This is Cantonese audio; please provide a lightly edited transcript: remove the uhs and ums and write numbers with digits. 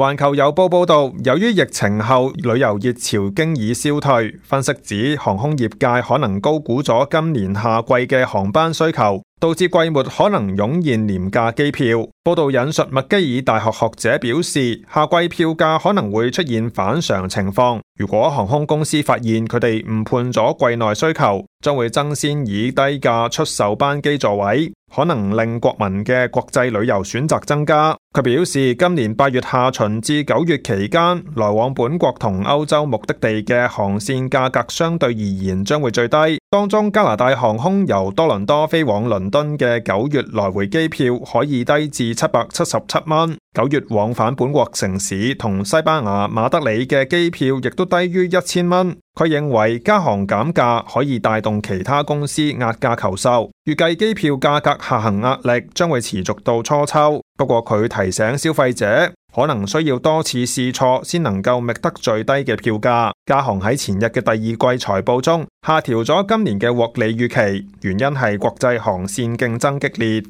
環球郵報報道，由於疫情後旅遊熱潮經已消退，分析指航空業界可能高估咗今年夏季嘅航班需求，導致季末可能湧現廉價機票。報道引述麥基爾大學學者表示，夏季票價可能會出現反常情況。如果航空公司發現佢哋誤判咗季內需求，將會爭先以低價出售班機座位，可能令國民嘅國際旅遊選擇增加。佢表示，今年8月下旬至9月期間，來往本國同歐洲目的地嘅航線價格相對而言將會最低。當中加拿大航空由多倫多飛往倫敦嘅9月來回機票可以低至777蚊，9月往返本國城市同西班牙馬德里嘅機票亦都低於1000蚊。佢認為加航減價可以帶動其他公司壓價求售，預計機票價格下行壓力將會持續到初秋。不過佢提醒消費者，可能需要多次試錯先能夠覓得最低嘅票價。加航喺前日嘅第二季財報中下調咗今年嘅獲利預期，原因係國際航線競爭激烈。